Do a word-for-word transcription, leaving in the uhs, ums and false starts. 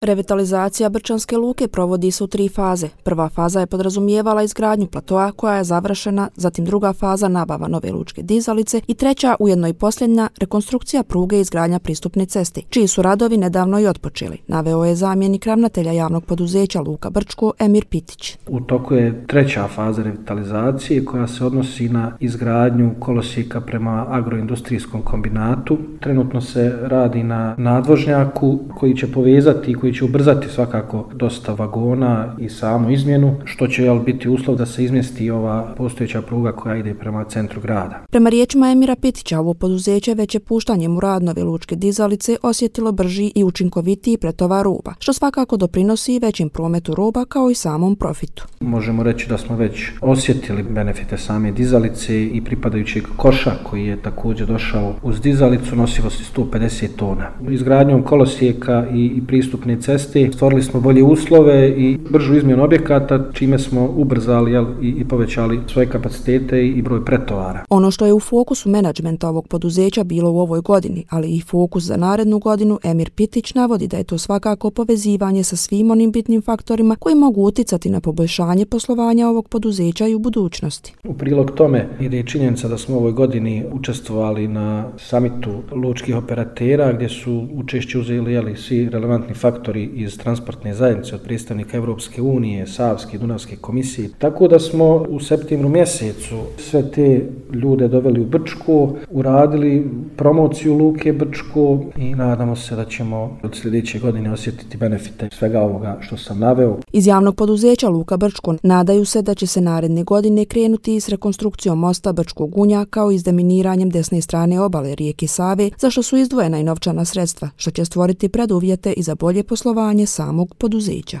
Revitalizacija Brčanske luke provodi se u tri faze. Prva faza je podrazumijevala izgradnju platoa koja je završena, zatim druga faza nabava nove lučke dizalice i treća, ujedno i posljednja, rekonstrukcija pruge i izgradnja pristupne ceste, čiji su radovi nedavno i otpočeli, naveo je zamjenik ravnatelja javnog poduzeća Luka Brčko Emir Pitić. U toku je treća faza revitalizacije koja se odnosi na izgradnju kolosijeka prema agroindustrijskom kombinatu. Trenutno se radi na nadvožnjaku koji će povezati i koji će ubrzati svakako dosta vagona i samu izmjenu, što će jel, biti uslov da se izmjesti ova postojeća pruga koja ide prema centru grada. Prema riječima Emira Pitića, ovo poduzeće već je puštanjem u rad nove lučke dizalice osjetilo brži i učinkovitiji pretovar roba, što svakako doprinosi većim prometu roba kao i samom profitu. Možemo reći da smo već osjetili benefite same dizalice i pripadajućeg koša koji je također došao uz dizalicu nosivosti sto pedeset tona. Izgradnjom kolosijeka i, i pristupne ceste stvorili smo bolje uslove i bržu izmjenu objekata, čime smo ubrzali jel, i, i povećali svoje kapacitete i broj pretovara. Ono što je u fokusu menadžmenta ovog poduzeća bilo u ovoj godini, ali i fokus za narednu godinu, Emir Pitić navodi da je to svakako povezivanje sa svim onim bitnim faktorima koji mogu uticati na poboljšanje poslovanja ovog poduzeća i u budućnosti. U prilog tome ide i činjenica da smo u ovoj godini učestvovali na samitu lučkih operatera gdje su učešće uzeli jeli, svi relevantni faktori iz transportne zajednice od predstavnika Evropske unije, Savske i Dunavske komisije. Tako da smo u septembru mjesecu sve te ljude doveli u Brčko, uradili promociju luke Brčko i nadamo se da ćemo od sljedeće godine osjetiti benefite svega ovoga što sam naveo. Iz javnog poduzeća Luka Brčko nadaju se da će se naredne godine krenuti i s rekonstrukcijom mosta Brčkog Gunja kao i s deminiranjem desne strane obale rijeke Save, za što su izdvojena i novčana sredstva, što će stvoriti preduvjete i za bolje poslovanje samog poduzeća.